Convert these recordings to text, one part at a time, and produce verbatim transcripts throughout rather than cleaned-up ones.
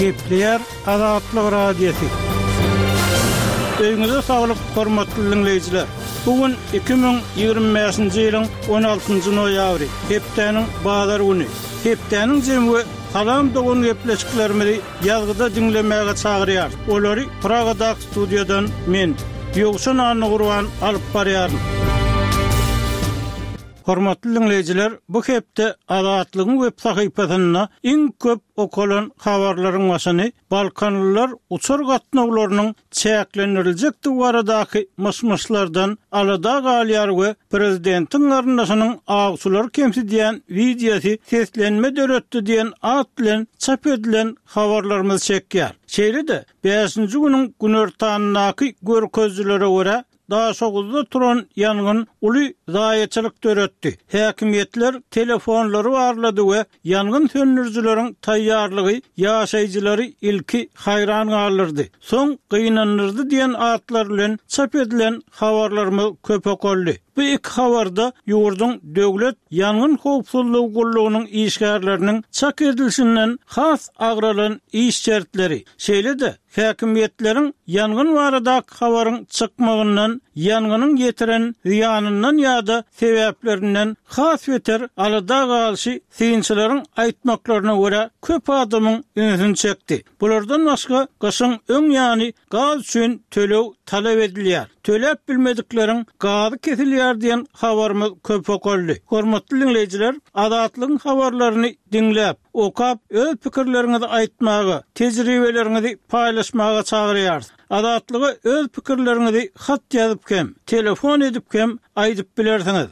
Gepleýär Azatlyk Radiosy. Öýüňize saglyk, hormatly dinleýjiler. Bu gün iki müň ýigrimi bäşinji ýylyň on altynjy noýabry, hepdäniň bazar güni. Hepdäniň jemi we Salam dogan gepleşiklerimizi ýazgyda diňlemäge çagyrýar. Olary Pragadaky studiýadan men, Ýowşan Annagurban alyp barýaryn. Hormatly dinleýjiler, bu hepde Azatlygyň web sahypasynda iň köp okalan habarlaryň başyny Balkanlylar uçar gatnawlarynyň çäklendiriljekdigi baradaky myş-myşlardan alada galýar we prezidentiň garyndaşynyň awçylary kemsidýän wideosy seslenme döretdi diýen at bilen çap edilen habarlarymyz çekýär. Şeýle-de, bäşinji günüň günortanyndaky görkezijilere görä, Daşoguzda turan ýangyn uly zaýaçylyk döretdi. Häkimiýetler telefonlary barlady we ýangyn söndürijileriň taýýarlygy ýaşaýjylary ilki haýran galdyrdy, soň gynandyrdy diýen atlar bilen çap edilen habarlarymyz köp okaldy. Bu iki habarda ýurduň Döwlet ýangyn howpsuzlygy gullugynyň işgärleriniň çak edilişinden has agralan iş şertleri, şeýle-de häkimiýetleriň ýangyn baradaky habaryň çykmagyndan, ýangynyň ýetiren zyýanyndan ýa-da sebäplerinden has beter alada galyşy synçylaryň aýtmaklaryna görä köp adamyň ünsüni çekdi. Bulardan başga gyşyň öň ýany gaz üçin töleg talap edilýär. Töläp bilmedikleriň gazy kesilýär diýen habarymyz köp okaldy. Hormatly diňleýjiler, Azatlygyň habarlaryny diňläp, okap, öz pikirleriňizi aýtmaga, tejribeleriňizi paýlaşmaga çagyrýarys. Azatlyga öz pikirleriňizi hat ýazyp hem, telefon edip hem aýdyp bilersiňiz.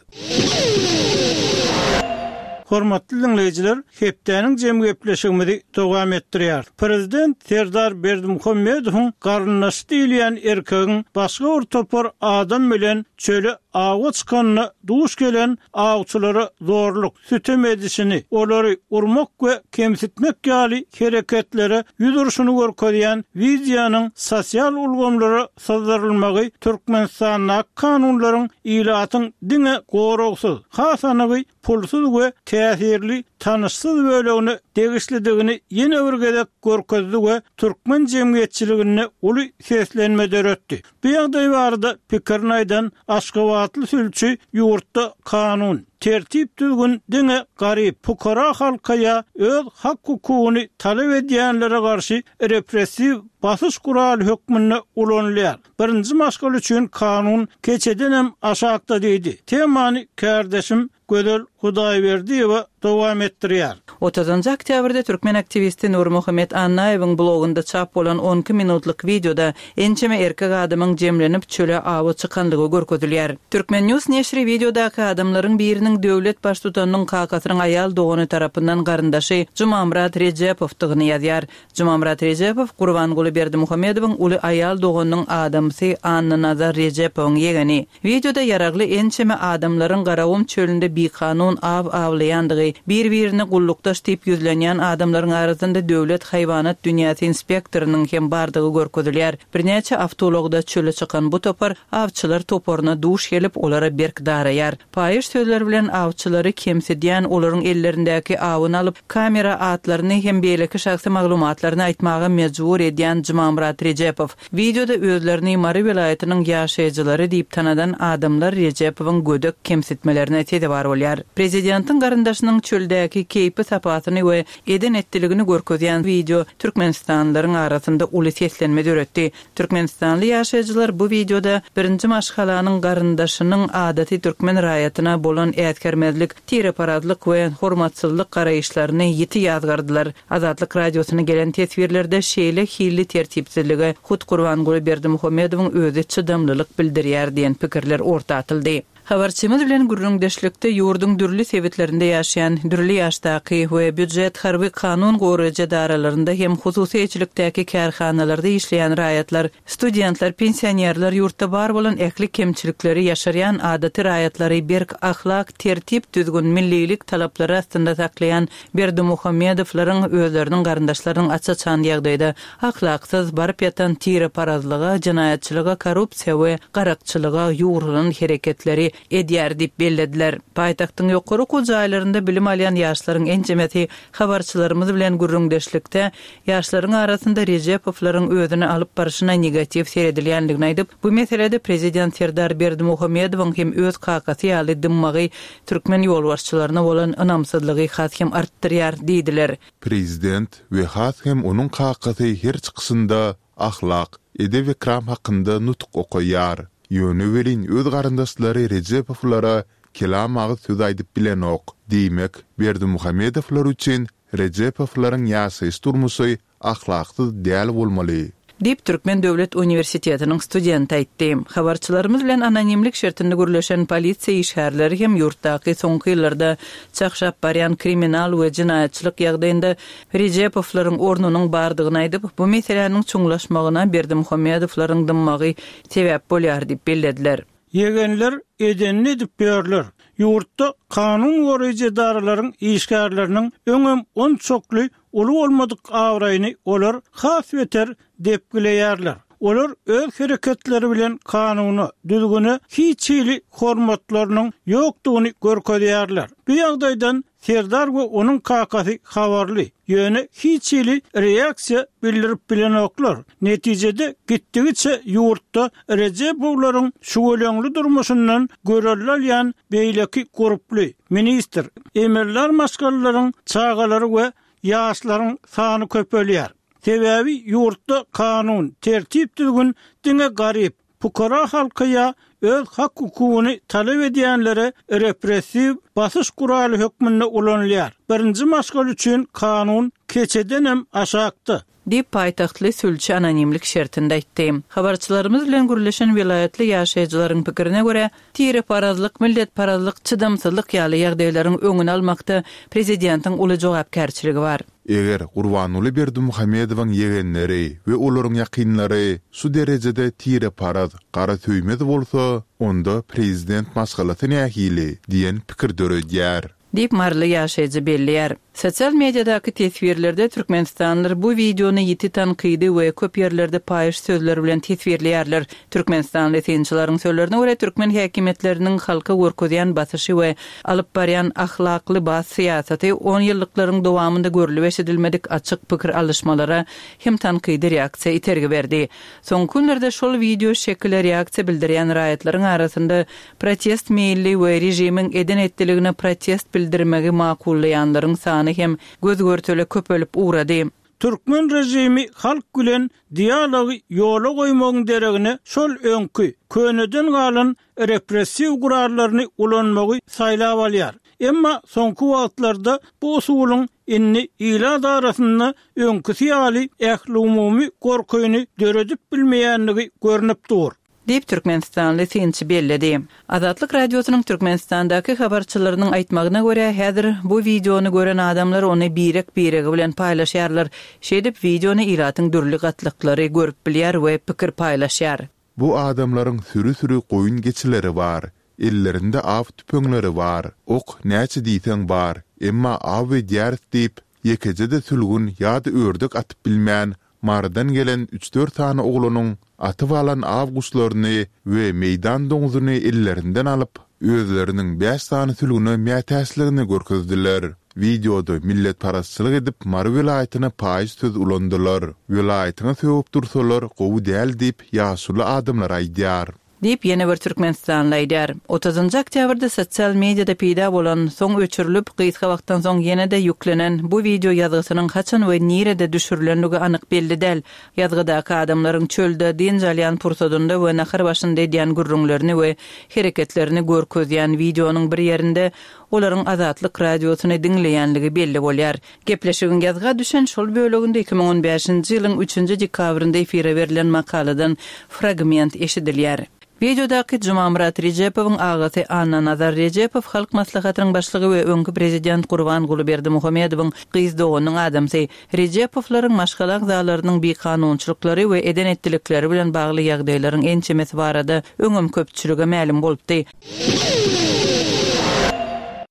Hormatly dinleýjiler, hepdäniň jem gepleşigimizi dowam etdirýär. Prezident Serdar Berdimuhamedowyň garyndaşy diýilýän erkegiň başga bir topar adam bilen çöle awa çykanyna duş gelen awçylara zorluk, sütem edişini, olary urmak we kemsitmek ýaly hereketlere ýüz urşuny görkezýän wideonyň sosial ulgamlara syzdyrylmagy Türkmenistandaky kanunlaryň ilatyň diňe goragsyz, has anygy pulsuz we täsirli tanyşsyz bölegine degişlidigini ýene bir gezek görkezdi we türkmen jemgyýetçiliginde uly seslenme döretdi. Bu ýagdaý barada pikirini aýdan Aşgabatly sülçi ýurtda kanun, tertip düzgün diňe garyp, pukara halka ýa öz hak hukugyny talap edýänlere garşy repressiw basyş guraly hökmünde ulanylýar. Birinji maşgala üçin kanun keçedenem aşakda diýdi. Temany kärdeşim Gözel Hudaýberdiýewa dowam etdirýär. Otuzynjy oktýabrda türkmen aktiwisti Nurmuhammet Annaýewiň blogunda çap bolan on iki minutlyk wideoda ençeme erkek adamyň jemlenip çöle awa çykanlygy görkezilýär. Turkmen News neşiri wideodaky adamlaryň biriniň döwlet baştutanynyň kakasynyň aýal dogany tarapyndan garyndaşy Jumamyrat Rejepowdygyny ýazýar. Jumamyrat Rejepow Gurbanguly Berdimuhamedowyň uly aýal doganynyň adamsy Annanazar Rejepowyň ýegeni. Wideoda ýaragly ençeme adamlaryň Garagum çölünde bikanun aw awlaýandygy, bir-birine gullukdaş diýip ýüzlenýän adamlaryň arasynda döwlet haýwanat dünýäsi inspektorynyň hem bardygy görkezilýär. Birnäçe awtoulagda çöle çykan bu topar awçylar toparyna duş gelip, olara berk daraýar. Paýyş sözler bilen awçylary kemsidýän, olaryň ellerindäki awyny alyp, kamera atlaryny hem beýleki şahsy maglumatlaryny aýtmaga mejbur edýän Jumamyrat Rejepow. Wideoda özlerini Mary welaýatynyň ýaşaýjylary diýip tanadan adamlar Rejepowyň gödek kemsitmelerine sezewar bolýar. Prezidentiň garyndaşynyň çöldäki keýpi sapasyny we eden-etdiligini görkezýän wideo türkmenistanlylaryň arasynda uly seslenme döretdi. Türkmenistanly ýaşaýjylar bu wideoda birinji maşgalanyň garyndaşynyň adaty türkmen raýatyna bolan äsgermezlik, tireparazlyk we hormatsyzlyk garaýyşlaryny ýiti ýazgardylar. Azatlyk Radiosyna gelen teswirlerde şeýle hilli tertipsizlige hut Gurbanguly Berdimuhamedowyň özi çydamlylyk bildirýär diýen pikirler orta atyldy. Habarçymyz bilen gürrüňdeşlikde ýurduň dürli sebitlerinde ýaşaýan dürli ýaşdaky we býujet harby kanun goraýjy edaralarynda hem hususy eýeçilikdäki kärhanalarda işleýän raýatlar, studentler, pensionerler ýurtda bar bolan ähli kemçilikleri ýaşarýan adaty raýatlary berk ahlak, tertip, düzgün, millilik talaplary astynda saklaýan Berdimuhamedowlaryň özleriniň garyndaşlarynyň aç-açan ýagdaýda ahlaksyz baryp ýatan tireparazlyga, jenaýatçylyga, korrupsiýa we garakçylyga ýugrulan hereketleri edýär diýip bellediler. Paýtagtyň ýokary okuw jaýlarynda bilim alýan ýaşlaryň ençemesi habarçylarymyz bilen gürrüňdeşlikde ýaşlaryň arasynda Rejepowlaryň özüni alyp barşyna negatiw seredilýändigini aýdyp, bu meselede prezident Serdar Berdimuhamedowyň hem öz kakasy ýaly dymmagy türkmen ýolbaşçylaryna bolan ynamsyzlygy has hem artdyrýar diýdiler. Prezident we has hem onuň kakasy her çykyşynda ahlak, edep-ekram hakynda nutuk okaýar. Ýöne welin öz garyndaşlary Rejepowlara kelam agyz söz aýdyp bilenok. Diýmek, Berdimuhamedowlar üçin Rejepowlaryň ýaşaýyş durmuşy ahlaksyz däl bolmaly. Diýip, Türkmen döwlet uniwersitetiniň studenti aýtdy. Habarçylarymyz bilen anonimlik şertinde gürleşen polisiýa işgärleri hem ýurtdaky soňky ýyllarda çakşap barýan kriminal we jenaýatçylyk ýagdaýynda Rejepowlaryň ornunyň bardygyny aýdyp, bu meseläniň çuňlaşmagyna Berdimuhamedowlaryň dymmagy sebäp bolýar diýip bellediler. Ýegenler edenini edip ýörler. Ýurtda kanun goraýjy edaralaryň işgärleriniň öňem onçakly uly bolmadyk abraýyny olar has beter depgileýärler. Olar öz hereketleri bilen kanuna, düzgüne hiç hili hormatlarynyň ýokdugyny görkezýärler. Bu ýagdaýdan Serdar we onuň kakasy habarly, ýöne hiç hili reaksiýa bildirip bilenoklar. Netijede gitdigiçe ýurtda Rejepowlaryň şüweleňli durmuşyndan görelde alýan beýleki gurply, ministr, emeldar maşgalalaryň çagalary we ýaşlaryň sany köpelýär. Sebäbi ýurtda kanun, tertip düzgün diňe garyp, pukara halka ýa öz hak hukugyny talap edýänlere repressiw basyş guraly hökmünde ulanylýar. Birinji maşgala üçin kanun keçedenem aşakda. Diýip, paýtagtly sülçi anonimlik şertinde aýtdy. Habarçylarymyz bilen gürleşen welaýatly ýaşaýjylaryň pikirine görä, tireparazlyk, milletparazlyk, çydamsyzlyk ýaly ýagdaýlaryň öňüni almakda prezidentiň uly jogapkärçiligi bar. Eger Gurbanguly Berdimuhamedowyň ýegenleri we olaryň ýakynlary şu derejede tireparaz, gara söýmez bolsa, onda prezident maşgalasy nähili diýen pikir döredýär. Diýip, maryly ýaşaýjy belleýär. Sosial mediadaky teswirlerde türkmenistanlylar bu wideony ýiti tankydy we köp ýerlerde paýyş sözler bilen teswirleýärler. Türkmenistanly synçylaryň sözlerine görä, türkmen häkimiýetleriniň halka görkezýän basyşy we alyp barýan ahlakly bas syýasaty on ýyllyklaryň dowamynda görlüp eşidilmedik açyk pikir alyşmalara hem tankydy reaksiýa itergi berdi. Soňky günlerde şol wideo şekile reaksiýa bildirýän raýatlaryň arasynda protest meýilli we režimiň eden-etdiligine protest bildirmegi makullaýanlaryň sany hem göz-görtele köpelip ugrady. Türkmen režimi halk bilen dialogy ýola goýmagyň deregine şol öňki, köneden galan repressiw gurallaryny ulanmagy saýlap alýar. Emma soňky wagtlarda bu usulyň indi ilat arasynda öňküsi ýaly ählumumy gorkyny döredip bilmeýändigi görnüp dur. Diýip, Türkmenistanly synçy belledi. Azatlyk Radiosynyň Türkmenistandaky habarçylarynyň aýtmagyna görä, häzir bu wideony gören adamlar ony birek-biregi bilen paýlaşýarlar. Şeýdip, wideony ilatyň dürli gatlaklary görüp bilýär we pikir paýlaşýar. Bu adamlaryň süri-süri goýun geçileri bar. Ellerinde aw tüpeňleri bar. Ok näçe diýseň bar, emma aw edýäris diýip, ýekeje-de sülgün ýa-da ördek atyp bilmän, Marydan gelen üç-dört sany oglanyň atyp alan aw guşlaryny we meýdan doňzuny ellerinden alyp, özleriniň bäş sany sülgüne mätäçligini görkezdiler. Wideoda milletparazçylyk edip Mary welaýatyna paýyş söz ulandylar. Welaýatyňa sögüp dursalar gowy däl diýip ýaşuly adamlar aýdýar. Diýip, ýene bir türkmenistanly aýdýar. Otuzynjy oktýabrda sosial mediada peýda bolan, soň öçürilip, gysga wagtdan soň ýene-de ýüklenen bu wideo ýazgysynyň haçan we nirede düşürilendigi anyk belli däl. Ýazgydaky adamlaryň çölde dynç alýan pursadynda we nahar başynda edýän gürrüňlerini we hereketlerini görkezýän wideonyň bir ýerinde olaryň Azatlyk Radiosyny diňleýänligi belli bolýar. Gepleşigiň ýazga düşen şol böleginde iki müň on bäşinji ýylyň üçünji dekabrynda efire berlen makaladan fragment eşidilýär. Wideodaky Jumamyrat Rejepowyň agasy Annanazar Rejepow Halk Maslahatynyň başlygy we öňki prezident Gurbanguly Berdimuhamedowyň gyz doganynyň adamsy. Rejepowlaryň maşgala agzalarynyň bikanunçylyklary we eden-etdilikleri bilen bagly ýagdaýlaryň ençemesi barada öňem köpçülige mälim bolupdy.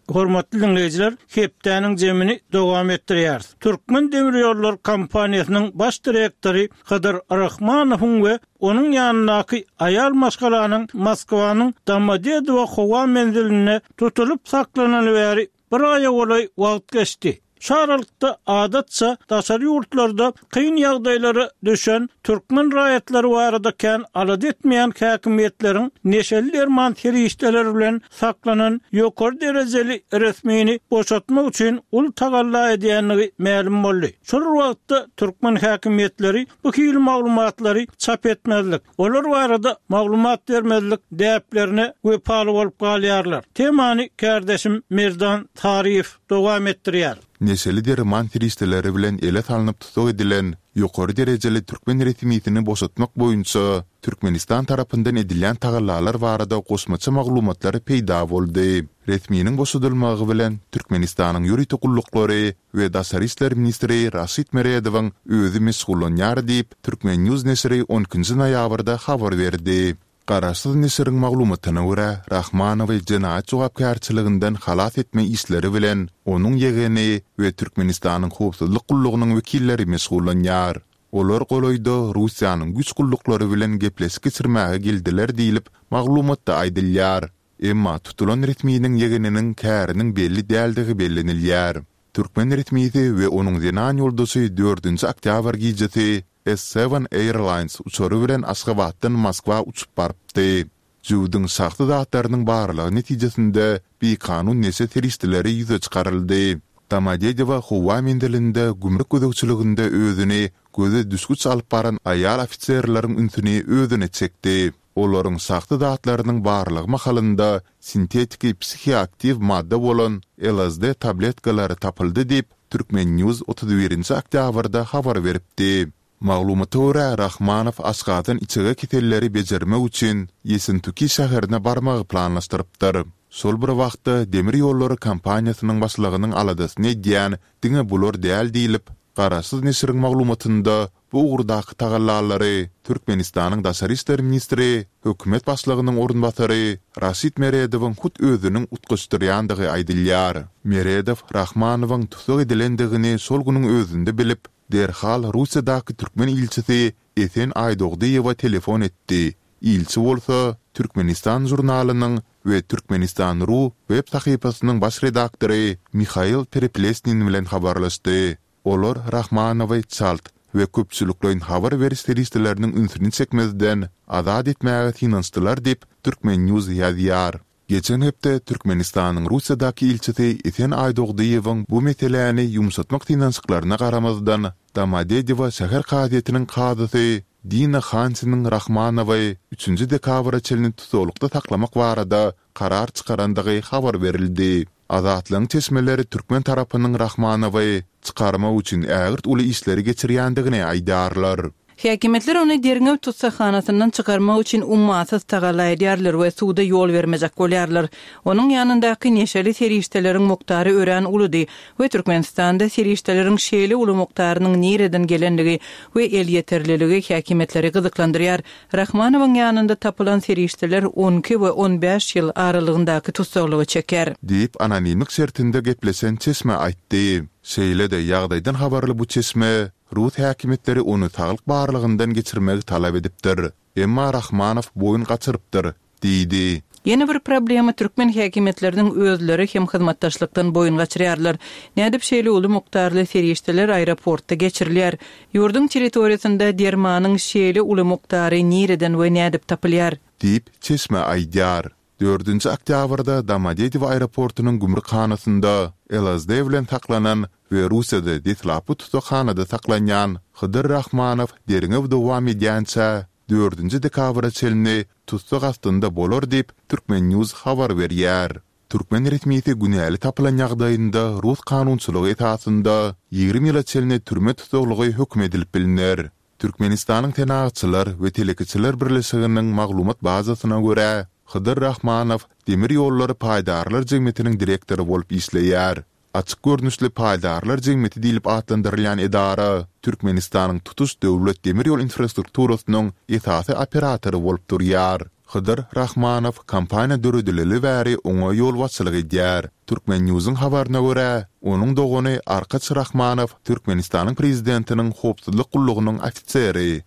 Hormatly dinleýjiler, hepdäniň jemini dowam etdirýäris. Türkmen Demirýollar kompaniýasynyň baş direktory Hydyr Rahmanowyň we onuň ýanyndaky aýal maşgalanyň Moskwanyň Domodedowo howa menzilinde tutulyp saklanyly bäri bir aýa golaý wagt geçdi. Şu aralykda adatça daşary ýurtlarda kyn ýagdaýlara düşen türkmen raýatlary barada kän alada etmeýän häkimiýetleriň neşeli derman serişdeleri bilen saklanan ýokary derejeli resmini boşatmak üçin uly tagalla edýändigi mälim boldy. Şol wagtda türkmen häkimiýetleri bu hili maglumatlary çap etmezlik, olar barada maglumat bermezlik däplerine wepaly bolup galýarlar. Temany kärdeşim Merdan Taryýew dowam etdirýär. Neşeli derman serişdeleri bilen ele salnyp tussag edilen ýokary derejeli türkmen resmisini boşatmak boýunça Türkmenistan tarapyndan edilýän tagallalar barada goşmaça maglumatlar peýda boldy. Resminiň boşadylmagy bilen Türkmenistanyň ýörite gulluklary we daşary işler ministri Raşid Meredowyň özi meşgullanýar diýip, Turkmen News neşiri on ikinji noýabrda habar berdi. Garaşsyz neşiriň maglumatyna görä, Rahmanowy jenaýat jogapkärçiliginden halas etme işleri bilen onuň ýegeni we Türkmenistanyň howpsuzlyk gullugynyň wekilleri meşgullanýar. Olar golaýda Russiýanyň güýç gulluklary bilen gepleşik geçirmäge geldiler diýlip, maglumatda aýdylýar. Emma tutulan resminiň ýegeniniň käriniň belli däldigi bellenilýär. Türkmen resmisi we onuň zenan ýoldaşy dördünji oktýabr gijesi S seven Airlines uçary bilen Aşgabatdan Moskwa uçup barypdy. Jüwdüň şahsy zatlarynyň barlagy netijesinde bikanun neşe serişdeleri ýüze çykaryldy. Domodedowo howa menzilinde gümrük gözegçiliginde özüni göze düşgüç alyp baran aýal ofiserleriň ünsüni özüne çekdi. Olaryň şahsy zatlarynyň barlagy mahalynda sintetiki psihoaktiw madda bolan L S D tabletkalary tapyldy diýip, Turkmen News otuz birinji oktýabrda habar beripdi. Maglumata görä, Rahmanow Aşgabatdan içege keselleri bejermek üçin Ýesentuki şäherine barmagy planlaşdyrypdyr. Şol bir wagtda demir ýollary kompaniýasynyň başlygynyň aladasyny edýän diňe bular däl diýlip, Garaşsyz neşiriň maglumatynda bu ugurdaky tagallalary Türkmenistanyň daşary işler ministri, hökümet başlygynyň orunbasary Raşid Meredowyň hut özüniň utgaşdyrýandygy aýdylýar. Meredow Rahmanowyň tussag edilendigini şol günüň özünde bilip, derhal Russiýadaky türkmen ilçisi Esen Aýdogdyýewa telefon etdi. Ilçi bolsa Türkmenistan jurnalynyň we Türkmenistan ru web sahypasynyň baş redaktory Mihail Pereplesnin bilen habarlaşdy. Olar Rahmanowy çalt we köpçülikleýin habar beriş serişdeleriniň ünsüni çekmezden azat etmäge synanyşdylar diýip, Turkmen News ýazýar. Geçen hepde Türkmenistanyň Russiýadaky ilçisi Esen Aýdogdyýewiň bu meseläni ýumşatmak synanyşyklaryna garamazdan, Domodedowo şäher kazyýetiniň kazysy Dina Hansiniň Rahmanowy üçünji dekabra çenli tussaglykda saklamak barada karar çykarandygy habar berildi. Azatlygyň çeşmeleri türkmen tarapynyň Rahmanowy çykarmak üçin ägirt uly işleri geçirýändigini aýdarlar. Häkimiýetler ony derňew tussaghanasyndan çykarmak üçin ummasyz tagalla edýärler we suwda ýol bermejek bolýarlar. Onuň ýanyndaky neşeli serişdeleriň mukdary örän uludy we Türkmenistanda serişdeleriň şeýle uly mukdarynyň nireden gelenligi we elýeterliligi häkimiýetleri gyzyklandyrýar. Rahmanowyň ýanynda tapylan serişdeler on iki we on bäş ýyl aralygyndaky tussaglygy çeker. Diýip anonimlik şertinde gepleşen çeşme aýtdy. Şeýle-de ýagdaýdan habarly bu çeşme Rus häkimiýetleri ony saglyk barlygyndan geçirmegi talap edipdir. Emma Rahmanow boýun gaçyrypdyr, diýdi. Ýene bir problema türkmen häkimiýetleriniň özleri hem hyzmatdaşlykdan boýun gaçyrýarlar. Nädip şeýle uly mukdarly serişdeler aeroportda geçirilýär? Ýurduň territoriýasynda dermanyň şeýle uly mukdary nireden we nädip tapylýar? Diýip, çeşme aýdýar. Dördünji oktýabrda Domodedowo aeroportunyň gümrükhanasynda L S D bilen saklanan we Russiýada deslapky tussaghanada saklanýan Hydyr Rahmanow derňew dowam edýänçä dördünji dekabra çenli tussag astynda bolar diýip, Turkmen News habar berýär. Türkmen resmisi günäli tapylan ýagdaýynda Rus kanunçylygy esasynda ýigrimi ýyla çenli türme tussaglygy höküm edilip biliner. Türkmenistanyň Senagatçylar we Telekeçiler Birleşiginiň maglumat bazasyna görä, Hydyr Rahmanow demir ýollary paýdarlar jemgyýetiniň direktory bolup işleýär. Açyk görnüşli paýdarlar jemgyýeti diýlip atlandyrylýan edara Türkmenistanyň tutuş döwlet demir ýol infrastrukturasynyň esasy operatory bolup durýar. Hydyr Rahmanow kompaniýa döredileli bäri oňa ýolbaşçylyk edýär. Turkmennewsiň habaryna görä, onuň dogany Arkaç Rahmanow Türkmenistanyň Prezidentiniň howpsuzlyk gullugynyň ofiseri.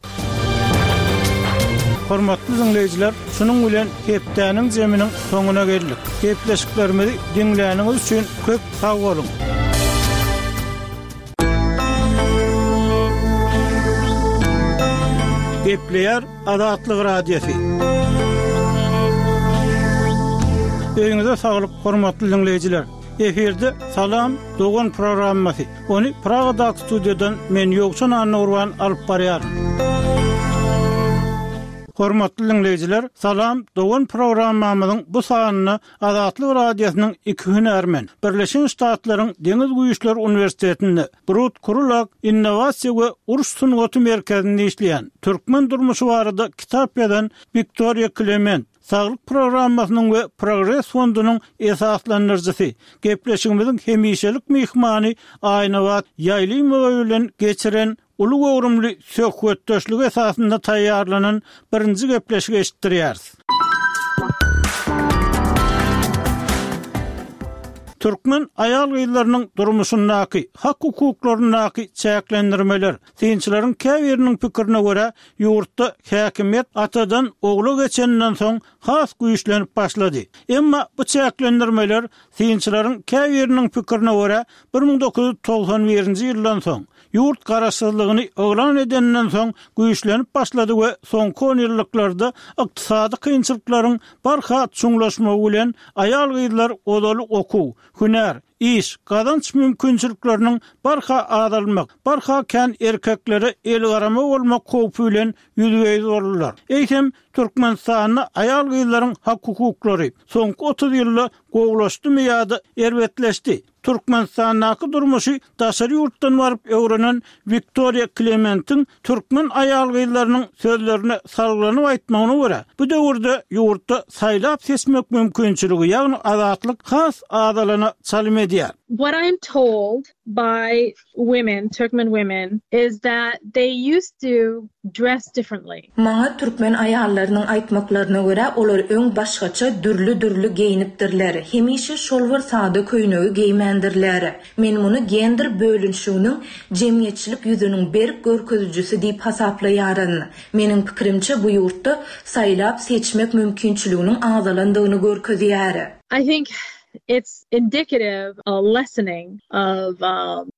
Hormatly diňleýjiler, şunuň bilen hepdäniň zeminiň soňuna geldik. Gepleşiklerimizi diňläniňiz üçin köp sag boluň. Gepleýär Azatlyk Radiosy. Öýüňize saglyk, hormatly diňleýjiler. Efirde Salam, dogan programmasy. Ony Pragadaky studiýadan men Ýowşan Annagurban alyp barýaryn. Hormatly diňleýjiler, Salam, dogan programmamyzyň bu sanynda Azatlyk Radiosynyň iki hünärmen, Birleşen Ştatlaryň Deňiz güýçleri uniwersitetinde Brut Krulak innowasiýa we uruş sungaty merkezinde işleýän, türkmen durmuşy barada kitap ýazan Wiktoriýa Klement, Saglyk programmasynyň we Progres fondunyň esaslandyryjysy, gepleşigimiziň hemişelik myhmany Aýnabat Ýaýlymowa bilen geçiren uly göwrümli söhbetdeşligi esasynda taýýarlanan birinji gepleşigi eşitdirýäris. Türkmen aýal-gyzlarynyň durmuşyndaky, hak-hukuklaryndaky çäklendirmeler, synçylaryň käbiriniň pikirine görä, ýurtda häkimiýet atadan ogla geçeninden soň has güýçlenip başlady. Emma bu çäklendirmeler, synçylaryň käbiriniň pikirine görä, bir müň dokuz ýüz togsan birinji ýyldan soň, ýurt garaşsyzlygyny yglan edeninden soň güýçlenip başlady we soňky onýyllyklarda ykdysady kynçylyklaryň barha çuňlaşmagy bilen aýal-gyzlar ozaly okuw, hünär, iş, gazanç mümkinçilikleriniň barha azalmak, barha kän erkeklere elgarama bolmak howpy bilen ýüzbe-ýüz boldular. Eýsem, Türkmenistanda aýal-gyzlaryň hak-hukuklary soňky otuz ýylda gowulaşdymy ýa-da erbetleşdi? Türkmenistandaky durmuşy daşary ýurtdan baryp öwrenen Wiktoriýa Klementiň türkmen aýal-gyzlarynyň sözlerine salgylanyp aýtmagyna görä, bu döwürde ýurtda saýlap-seçmek mümkinçiligi, ýagny azatlyk has azalana çalym edýär. What I'm told by women, Turkmen women, is that they used to dress differently. Maňa türkmen aýallarynyň aýtmaklaryna görä, olar öň başgaça, dürli-dürli geýnipdirler, hemişe şol bir sada köýnegi geýmändirler. Men muny gender bölünişiginiň jemgyýetçilik ýüzüniň berk görkezijisi diýip hasaplaýaryn. Meniň pikirimçe, bu ýurtda saýlap-seçmek mümkinçiliginiň azalandygyny görkezýär. I think it's indicative a lessening of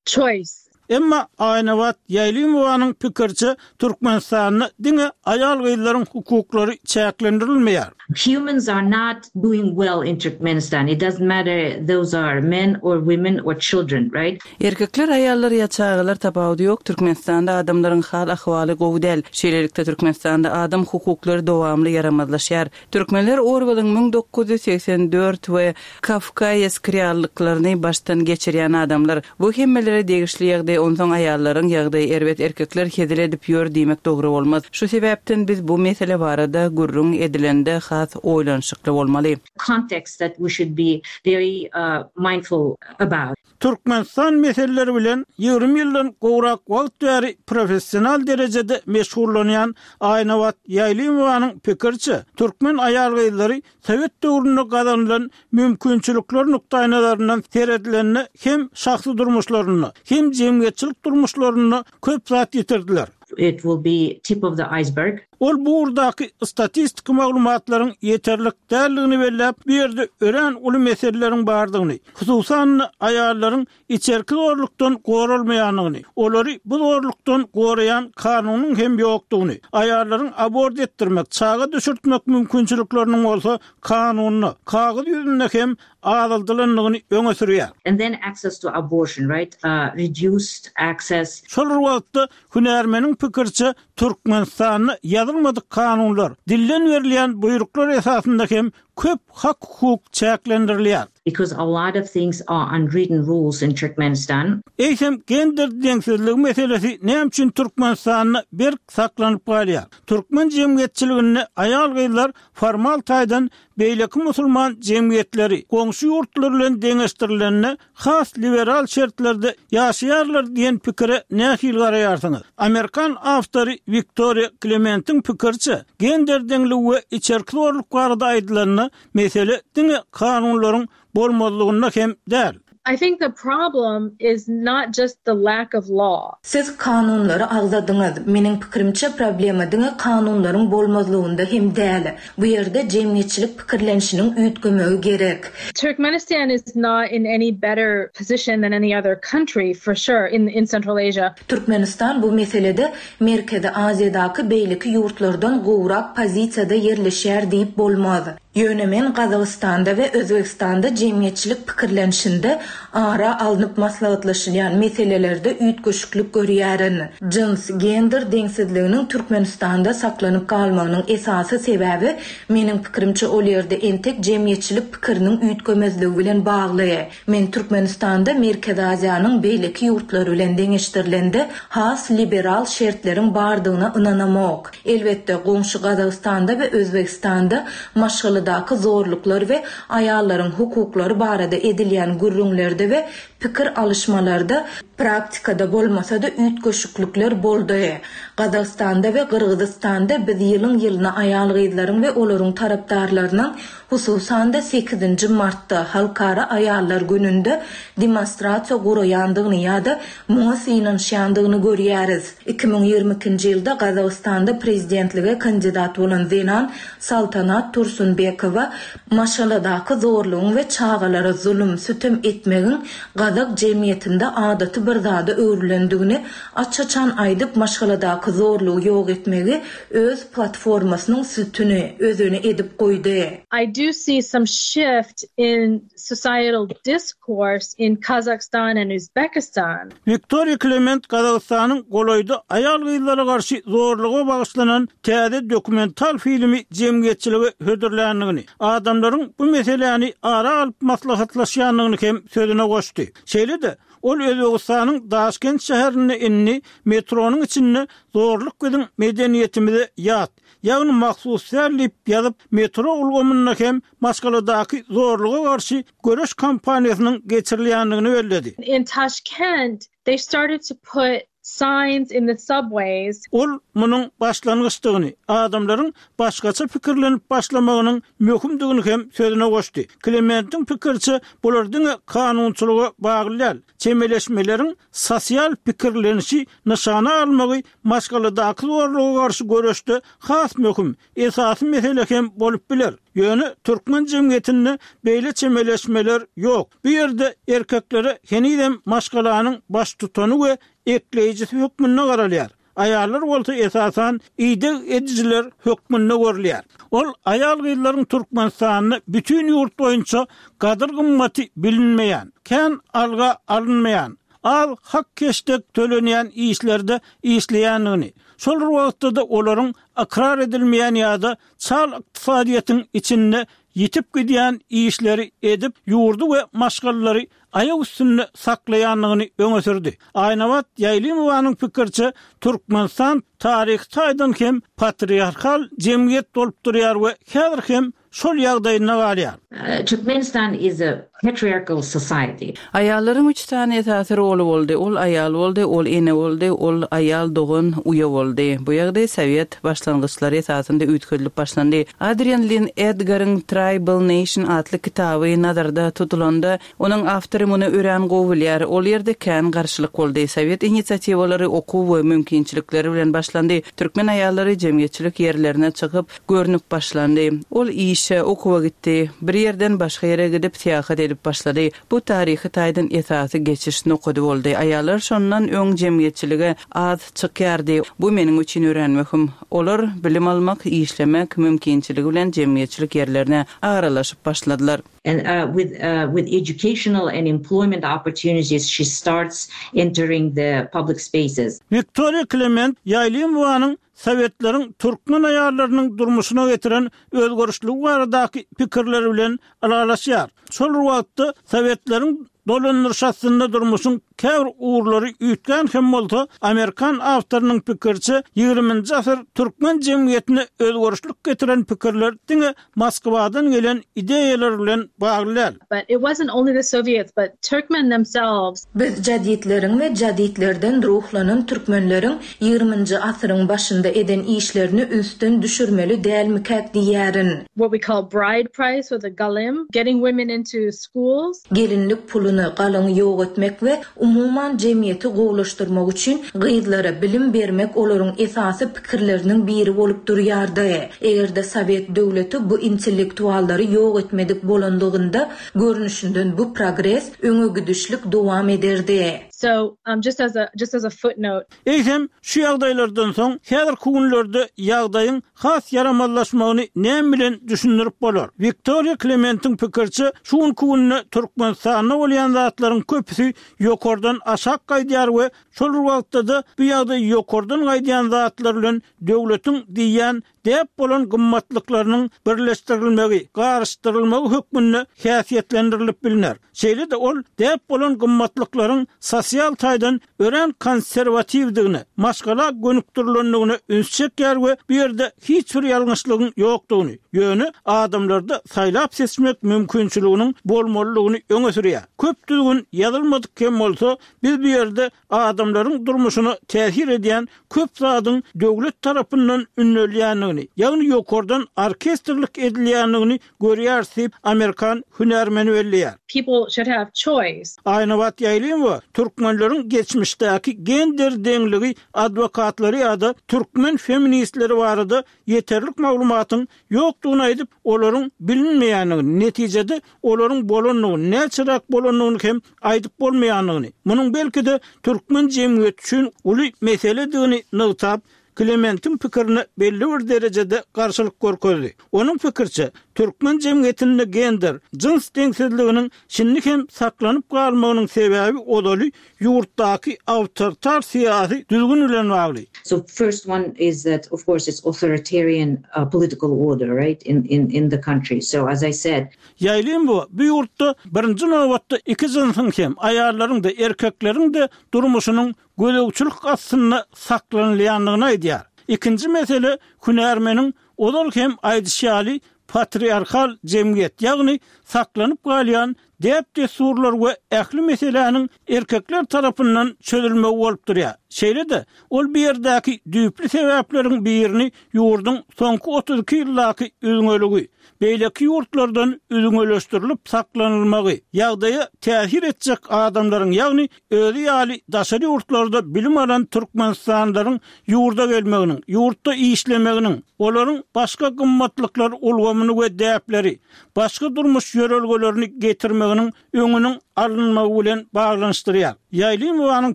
choice. Emma Aýnabat Ýaýlymowanyň pikiriçe, Türkmenistanda diňe aýal-gyzlaryň hukuklary çäklendirilmeýär. Humans are not doing well in Turkmenistan. It doesn't matter those are men or women or children, right? Erkekler, aýallar ýa çagalar tapawudy ýok, Türkmenistanda adamlaryň hal-ahwaly gowy däl. Şeýlelikde Türkmenistanda adam hukuklary dowamly ýaramazlaşýar. Türkmenler Orwelliň müň dokuz ýüz segsen dört we Kafkaesk reallyklaryny başdan geçirýän adamlar. Bu hemmelere degişli ýagdaý, onsoň aýallaryň ýagdaýy erbet, erkekler hezil edip ýör diýmek dogry bolmaz. Şu sebäpden biz bu mesele barada gürrüň edilende has oýlanyşykly bolmaly. Context that we should be very mindful about. Türkmenistan meseleleri bilen ýigrimi ýyldan gowrak wagt bäri professional derejede meşgullanýan Aýnabat Ýaýlymowanyň pikiriçe, türkmen aýal-gyzlary sowet döwründe gazanylan mümkinçilikler nukdaýnazaryndan seredilende hem şahsy durmuşlarynda, hem jemgyýetçilik durmuşlarynda köp zat ýitirdiler. It will be tip of the iceberg. Ol bu ugurdaky statistiki maglumatlaryň ýeterlik däldigini belläp, bu ýerde örän uly meseleleriň bardygyny, hususan-da, aýallaryň içerki zorlukdan goralmaýandygyny, olary bu zorlukdan goraýan kanunyň hem ýokdugyny, aýallaryň abort etdirmek, çaga düşürtmek mümkinçilikleriniň bolsa kanunda, kagyz ýüzünde hem azaldylandygyny öňe sürýär. And then access to abortion, right? Reduced access. Şol bir wagtda, hünärmeniň pikiriçe, Türkmenistanda ýazylmadyk kanunlar, dilden berilýän buýruklar esasynda hem köp hak-hukuk çäklendirilýär. Because a lot of things are unwritten rules in Turkmenistan. Eýsem gender deňsizligi meselesi näme üçin Türkmenistanda berk saklanyp galýar? Türkmen jemgyýetçiliginde aýal-gyzlar formal taýdan beýleki musulman jemgyýetleri, goňşy ýurtlar bilen deňeşdirilende has liberal şertlerde ýaşaýarlar diýen pikire nähili garaýarsyňyz? Amerikan awtory Wiktoriýa Klementiň pikiriçe, gender deňligi we içerki zorluk barada aýdylanda mesele diňe kanunlaryň bolmazlygynda hem däl. I think the problem is not just the lack of law. Siz kanunlary agzadyňyz. Meniň pikirimçe problema diňe kanunlaryň bolmazlygynda hem däl. Bu ýerde jemgyýetçilik pikirlenişiniň üýtgemegi gerek. Turkmenistan is not in any better position than any other country for sure in in Central Asia. Türkmenistan bu meselede Merkezi Aziýadaky beýleki ýurtlardan gowrak pozisiýada ýerleşýär diýip bolmaz. Ýöne men Gazagystanda we Özbegistanda jemgyýetçilik pikirlenişinde ara alnyp maslahatlaşylýan meselelerde üýtgeşiklik görýärin. Jyns, gender deňsizliginiň Türkmenistanda saklanyp galmagynyň esasy sebäbi meniň pikirimçe ol ýerde entek jemgyýetçilik pikiriniň üýtgemezligi bilen bagly. Men Türkmenistanda Merkezi Aziýanyň beýleki ýurtlary bilen deňeşdirilende has liberal şertleriň bardygyna ynanamok. Elbetde, goňşy Gazagystanda we Özbegistanda maşgaladaky zorluklar we aýallaryň hukuklary barada edilýän gürrüňlerde we pikir alyşmalarda praktikada bolmasa-da üýtgeşiklikler boldy. Gazagystanda we Gyrgyzystanda biz ýylyň-ýylyna aýal-gyzlaryň we olaryň tarapdarlarynyň hususan-da sekizinji martda Halkara aýallar gününde demonstrasiýa guraýandygyny ýa-da muňa synanyşýandygyny görýäris. Iki müň ýigrimi ikinji ýylda Gazagystanda prezidentlige kandidat bolan zenan Saltanat Tursunbekowa maşgaladaky zorlugyň we çagalara zulum, sütem etmegiň gazak jemgyýetinde adaty bir zada öwrülendigini aç-açan aýdyp, maşgaladaky zorlugy ýok etmegi öz platformasynyň sütüni, özeni edip goýdy. I do see some shift in societal discourse in Kazakhstan and Uzbekistan. Wiktoriýa Klement Gazagystanyň golaýda aýal-gyzlara garşy zorluga bagyşlanan täze dokumental filmi jemgyýetçilige hödürländigini, adamlaryň bu meseläni ara alyp maslahatlaşýandygyny hem sözüne goşdy. Şeýle-de, ol Özbegistanyň Daşkent şäherinde indi metronyň içinde zorluk biziň medeniýetimize ýat, ýagny mahsus däl diýip ýazyp, metro ulgamynda hem maşgaladaky zorluga garşy göreş kampaniýasynyň geçirilýändigini belledi. In Tashkent, they started to put signs in the subways. Ol munuň başlangyçdygyny, adamlaryň başgaça pikirlenip başlamagynyň möhümdigini hem sözüne goşdy. Klementiň pikiriçe, bular diňe kanunçylyga bagly däl, çemeleşmeleriň sosial pikirlenişi nyşana almagy maşgaladaky zorluga garşy göreşde has möhüm, esasy mesele hem bolup biler. Ýöne türkmen jemgyýetinde beýle çemeleşmeler ýok. Bu ýerde erkeklere henizem maşgalanyň baştutany we ekleýjisi hökmünde garalýar. Aýallar bolsa esasan ideg edijiler hökmünde görülýär. Ol aýal-gyzlaryň Türkmenistanda bütin ýurt boýunça gadyr-gymmaty bilinmeýän, kän alga alynmaýan, az hak-heşdek tölenýän işlerde işleýändigini, şol bir wagtda-da olaryň ykrar edilmeýän ýa-da çal ykdysadyýetiň içinde ýitip gidýän işleri edip, ýurdy we maşgalalary aýak üstünde saklaýandygyny öňe sürdi. Aýnabat Ýaýlymowanyň pikiriçe, Türkmenistan taryhy taýdan hem patriarhal jemgyýet bolup durýar we häzir hem şol ýagdaýynda galýar. Turkmenistan is a patriarchal society. Aýallaryň üç sany esasy roly boldy, ol aýal boldy, ol ene boldy, ol aýal dogan, uýa boldy. Bu ýagdaý sowet başlangyçlary esasynda üýtgedilip başlandy. Adrian Lin Edgaryň Tribal Nation atly kitaby nazarda tutulanda, onuň awtory muny örän gowy bilýär. Ol ýerde kän garşylyk boldy. Sowet inisiatiwalary okuw we mümkinçilikleri bilen başlandy. Türkmen aýallary jemgyýetçilik ýerlerine çykyp, görnüp başlandy. Ol işe, okuwa gitdi. Bir ýerden başga ýere gidip syýahat edip başlady. Bu taryhy taýdan esasy geçiş nokady boldy. Aýallar şondan öň jemgyýetçilige az çykýardy. Bu meniň üçin örän möhüm. Olar bilim almak, işlemek mümkinçiligi bilen jemgyýetçilik ýerlerine aralaşyp başladylar. And, uh, with, uh, with educational and employment opportunities, she starts entering the public spaces. Wiktoriýa Klement Ýaýlymowanyň Sowetleriň türkmen aýallarynyň durmuşyna getiren özgerişligi baradaky pikirleri bilen ylalaşýar. Şol bir wagtda Sowetleriň dolandyryş astynda durmuşyň käbir ugurlary üýtgän hem bolsa, amerikan awtorynyň pikiriçe, ýigriminji asyr türkmen jemgyýetine özgerişlik getiren pikirler diňe Moskwadan gelen ideýalar bilen bagly däl. But it wasn't only the Soviets, but Turkmen themselves. Biz jaditleriň we jaditlerden ruhlanan türkmenleriň ýigriminji asyryň başynda eden işlerini ünsden düşürmeli dälmikäk diýýärin. What we call bride price or the galim, getting women into schools. Gelinlik puluny, galyňy ýok etmek we umuman jemgyýeti gowulaşdyrmak üçin gyzlara bilim bermek olaryň esasy pikirleriniň biri bolup durýardy. Eger-de sowet döwleti bu intellektuallary ýok etmedik bolanlygynda, görnüşinden bu progres, öňe gidişlik dowam ederdi. So, um, just as a, just as a footnote. Eýsem, şu ýagdaýlardan soň häzirki günlerde ýagdaýyň has ýaramazlaşmagyny näme bilen düşündirip bolar? Wiktoriýa Klementiň pikiriçe, şu günki günde Türkmenistanda bolýan zatlaryň köpüsi ýokardan aşak gaýdýar we şol bir wagtda-da bu ýagdaý ýokardan gaýdýan zatlar bilen döwletiň diýýän däp bolan gymmatlyklarynyň birleşdirilmegi, garyşdyrylmagy hökmünde häsiýetlendirilip bilner. Şeýle-de ol däp bolan gymmatlyklaryň sosial taýdan örän konserwatiwdigine, maşgala gönükdirilendigine üns çekýär we bu ýerde hiç bir ýalňyşlygyň ýokdugyny, ýöne adamlarda saýlap-seçmek mümkinçiliginiň bolmalydygyny öňe sürýär. Köp düzgün ýazylmadyk hem bolsa, biz bu ýerde adamlaryň durmuşyna täsir edýän köp zadyň döwlet tarapyndan ündelýändigini, ýagny ýokardan orkestrlik edilýändigini görýäris diýip, amerikan hünärmeni belleýär. People should have choice. Aýnabat Ýaýlymowa türkmenleriň geçmişdäki gender deňligi adwokatlary ýa-da türkmen feministleri barada ýeterlik maglumatyň ýokdugyny aýdyp, olaryň bilinmeýändigini, netijede olaryň bolandygyny, näçeräk bolandygyny hem aýdyp bolmaýandygyny, munuň belki-de türkmen jemgyýeti üçin uly meseledigini nygtap, Klementiň pikirine belli bir derejede garşylyk görkezdi. Onuň pikiriçe, türkmen jemgyýetinde gender, jyns deňsizliginiň şindi hem saklanyp galmagynyň sebäbi ozaly ýurtdaky awtoritar syýasy düzgün bilen bagly. So first one is that of course it's authoritarian political order, right, in in in the country. So as I said. Ýaýlym bu, bu ýurtda birinji nobatda iki jynsyň hem, aýallaryň-da, erkekleriň-de durmuşynyň gözegçilik astynda saklanylýandygyny aýdýar. Ikinji mesele hünärmeniň ozal hem aýdyşy ýaly patriarhal jemgyýet, ýagny saklanyp galýan däp-dessurlar we ähli meseläniň erkekler tarapyndan çözülmegi bolup durýar. Şeýle-de, ol bu ýerdäki düýpli sebäpleriň birini ýurduň soňky otuz iki ýyldaky üzňeligi, beýleki ýurtlardan üzňeleşdirilip saklanylmagy, ýagdaýa täsir etjek adamlaryň, ýagny özi ýaly daşary ýurtlarda bilim alan türkmenistanlylaryň ýurda gelmeginiň, ýurtda işlemeginiň, olaryň başga gymmatlyklar ulgamyny we däpleri, başga durmuş ýörelgelerini getirmeginiň öňüniň alynmagy bilen baglanyşdyrýar. Ýaýlymowanyň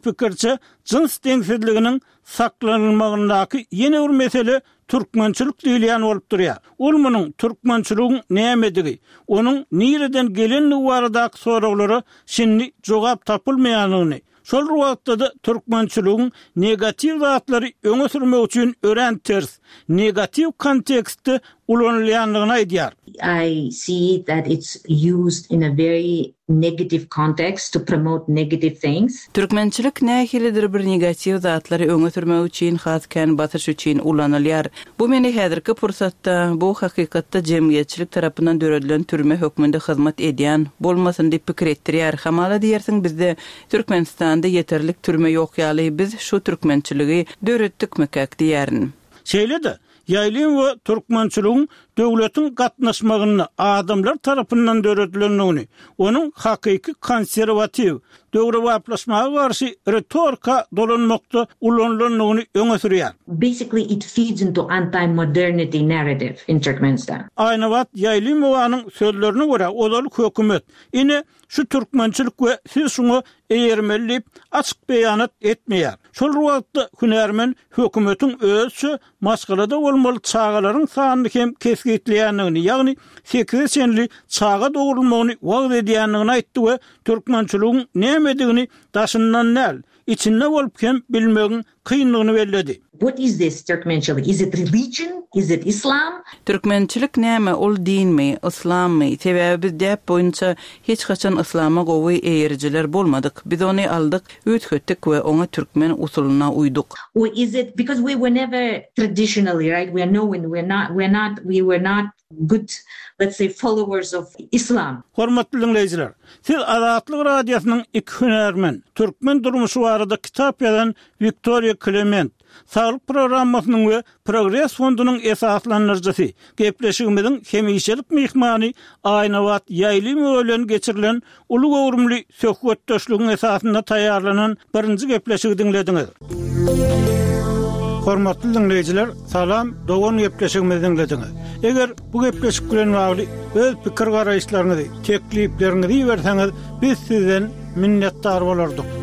pikiriçe, jyns deňsizliginiň saklanylmagyndaky ýene bir mesele türkmençilik diýilýän bolup durýar. Ol munuň türkmençiligiň nämedigi, onuň nireden gelendigi baradaky soraglara şindi jogap tapylmaýandygyny, şol bir wagtda-da türkmençiligiň negatiw zatlary öňe sürmek üçin örän ters, negatiw kontekstde ulanylýandygyny aýdýar. I see that it's used in a very negative context to promote negative things. Türkmençilik nähilidir bir negatiw zatlary öňe sürmek üçin has kän basyş üçin ulanylýar. Bu meni häzirki pursatda bu hakykatda jemgyýetçilik tarapyndan döredilen türme hökmünde hyzmat edýän bolmasyn diýip pikir etdirýär. Hamala diýersiň bizde Türkmenistanda ýeterlik türme ýok ýaly biz şu türkmençiligi döretdikmikäk diýerin. Şeýle-de, Ýaýlym we türkmençiligiň döwletiň gatnaşmagynda adamlar tarapyndan döredilendigini, onuň hakyky konserwatiw, döwrebaplaşmaga garşy ritorika dolanmakda ulanylandygyny öňe sürýär. Basically it feeds into anti-modernity narrative in Turkmenistan. Aýnabat Ýaýlymowanyň sözlerine görä, ozal hökümet, ine, şu türkmençilik we siz şuňa eýermeli diýip, açyk beýanat etmeýär. Şol bir wagtda hünärmen hökümetiň özüçe maşgalada bolmaly çagalaryň sanyny hem kesgitleýändigini kesgitleýändigini, ýagny sekize çenli çaga dogrulmagyny wagyz edýändigini aýtdy we türkmençiligiň nämedigini daşyndan däl, içinde bolup hem bilmegiň kyndygyny belledi. What is this Turkmenchilik? Is it religion? Is it Islam? Türkmençilik näme, ol dinmi, yslammy? Sebäbi biz däp boýunça hiç haçan yslama gowy eýerijiler bolmadyk. Biz ony aldyk, üýtgetdik we oňa türkmen usulyna uýduk. Or is it because we were never traditionally, right? We are known, we're not, we're not, we were not good, let's say, followers of Islam. Hormatly diňleýjiler, siz Azatlyk Radiosynyň iki hünärmen, türkmen durmuşy barada kitap ýazan Wiktoriýa Klement, Saglyk programmasynyň we Progres fondunyň esaslandyryjysy, gepleşigimiziň hemişelik myhmany Aýnabat Ýaýlymowa bilen geçirilen uly göwrümli söhbetdeşligiň esasynda taýýarlanan birinji gepleşigi diňlediňiz. Hormatly diňleýjiler, salam, dogan gepleşigimizi diňlediňiz. Eger bu gepleşik bilen bagly öz pikir garaýyşlaryňyzy, teklipleriňizi berseňiz, biz sizden minnetdar bolardyk.